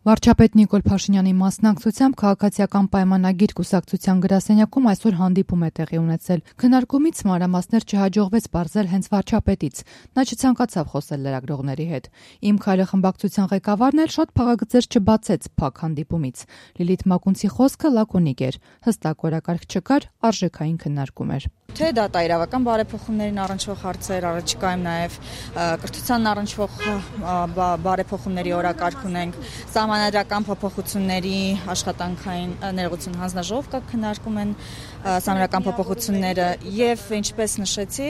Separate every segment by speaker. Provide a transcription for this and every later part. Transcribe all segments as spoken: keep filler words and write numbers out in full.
Speaker 1: Վարչապետ Նիկոլ Փաշինյանի մասնակցությամբ քաղաքացիական պայմանագիր կուսակցության գրասենյակում այսօր հանդիպում է տեղի ունեցել։ Քննարկումից մանրամասներ չհաջողվեց պարզել հենց վարչապետից։ Նա չցանկացավ խոսել լրագրողների հետ։ Իմ քայլը խմբակցության ղեկավարն էլ շատ փաղագծեր չբացեց փակ հանդիպումից։ Լիլիթ Մակունցի խոսքը լակոնիկ էր։ Հստակ օրակարգ չկար, արժեքային քննարկում էր։
Speaker 2: Թե դա տարավական բարեփոխումներին առնչվող հարցեր, առաջիկայում նաև կրթությանն առնչվող բարեփոխումների օրակարգ ունենք, սահմանադրական փոփոխությունների աշխատանքային ներողություն հանձնաժողով կա քննարկում են սահմանադրական փոփոխությունները եւ ինչպես նշեցի,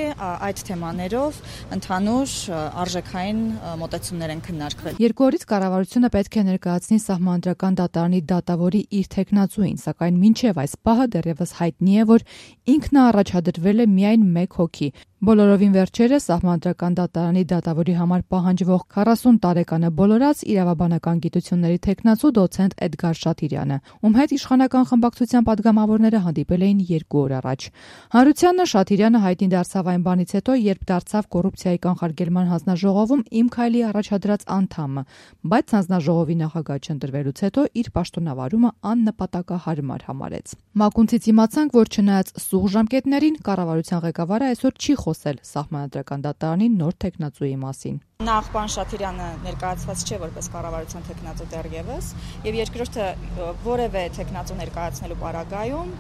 Speaker 2: այդ թեմաներով ընդհանուր արժեքային մոտեցումներ են քննարկվել։
Speaker 1: Երկու օրից կառավարությունը պետք է ներկայացնի սահմանադրական դատարանի դատավորի իր թեկնածուին, սակայն մինչև այս պահը դեռևս հայտնի է, որ ինքն առաջադրվել է միայն մեկ հոգի։ Բոլորովին վերջերս սահմանադրական դատարանի դատավորի համար պահանջվող քառասուն տարեկանը բոլորած իրավաբանական գիտությունների թեկնածու դոցենտ Էդգար Շաթիրյանը, ում հետ իշխանական խմբակցության падգամավորները հանդիպել էին երկու օր առաջ։ Հարությանը Շաթիրյանը հայտնի դարձավ այն բանից հետո, երբ դարձավ կոռուպցիայի կանխարգելման հանձնաժողովում Իմ քայլի առաջադրած անդամը, բայց հանձնաժողովի նախագահ չընտրվելուց հետո իր պաշտոնավարումը աննպատակահարմար համարեց։ Մակունցից իմացանք, որ չնայած սուղ ժամկետներին, կառավարության ղեկավարը այսօր չի խոսել սահմանադրական դատարանի նոր թեկնածուի մասին։
Speaker 2: Նախ պարոն Շաթիրյանը ներկայացված չէ որպես կառավարության թեկնածու դեռևս, եւ երկրորդը որևէ թեկնածու ներկայացնելու պարագայում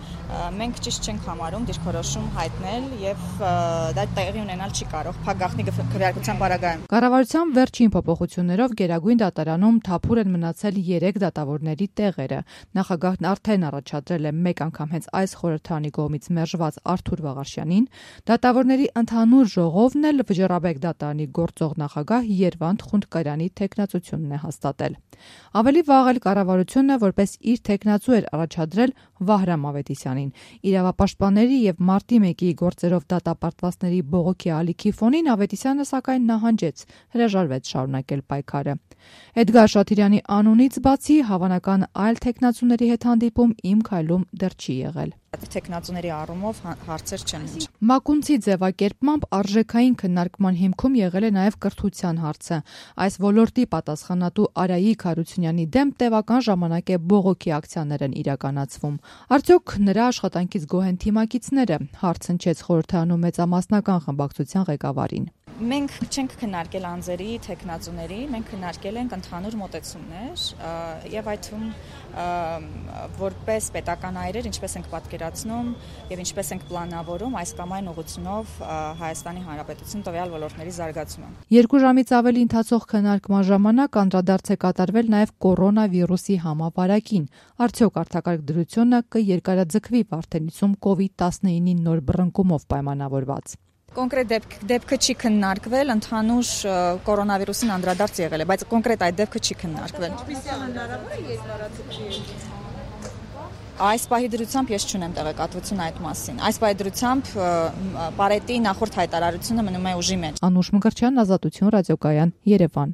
Speaker 2: մենք ճիշտ չենք համարում դիրքորոշում հայտնել եւ դա տեղի ունենալ չի կարող փակագաղտնի քվեարկության պարագայում։
Speaker 1: Կառավարության վերջին փոփոխություններով Գերագույն դատարանում թափուր են մնացել երեք դատավորների տեղերը։ Նախագահն արդեն առաջադրել է մեկ անգամ հենց այս խորհրդարանի կողմից մերժված Արթուր Վաղարշյանին, դատավորների ընդհանուր ժողովն էլ Վճռաբեկ դատարանի գործող նախագահ Երվանդ Խունդկարյանի թեկնածությունն է հաստատել։ Ավելի վաղ էլ կառավարությունը որպես իր թեկնածու էր առաջադրել Վահրամ Ավետիսյանին։ Իրավապաշտպանների եւ մարտի մեկի գործերով դատապարտվածների բողոքի ալիքի ֆոնին Ավետիսյանը սակայն նահանջեց, հրաժարվեց շարունակել պայքարը։ Էդգար Շաթիրյանի անունից բացի հավանական այլ թեկնածուների հետ հանդիպում Իմ քայլում դեռ չի եղել։
Speaker 2: Թեկնածուների առումով հարցեր չեն։
Speaker 1: Մակունցի ձևակերպմամբ արժեքային քննարկման հիմքում եղել է նաև կրթության հարցը։ Այս ոլորտի պատասխանատու Արայիկ Հարությունյանի դեմ տևական ժամանակ է բողոքի ակցիաներ են իրականացվում։ Արդյոք նրա աշխատանքից գոհ են թիմակիցները, հարց հնչեց խորհրդարանում մեծամասնական խմբակցության ղեկավարին։
Speaker 2: Մենք չենք քննարկել անձերի, թեկնածուների, մենք քննարկել ենք ընդհանուր մոտեցումներ եւ այդ թվում որպես պետական այրեր ինչպես ենք պատկերացնում եւ ինչպես ենք պլանավորում այս կամ այն ուղղությունով Հայաստանի Հանրապետություն տվյալ ոլորտների զարգացումը։
Speaker 1: Երկու ժամից ավելի ընթացող քննարկման ժամանակ անդրադարձ է կատարվել նաեւ կորոնավիրուսի համավարակին։ Արդյոք արտակարգ դրությունը կերկարաձգվի Վարդենիսում կովիդ տասնինի նոր բռնկումով պայմանավորված։
Speaker 2: Կոնկրետ դեպք, դեպքը չի քննարկվել, ընդհանուր կորոնավիրուսին անդրադարձ եղել է, բայց կոնկրետ այդ դեպքը չի քննարկվել։ Այս պահի դրությամբ ես չունեմ տեղեկատվություն այդ մասին։ Այս պահի դրությամբ Պարետի նախորդ հայտարարությունը մնում է ուժի մեջ։
Speaker 1: Անուշ Մկրտչյան, Ազատություն, Ռադիոկայան, Երևան։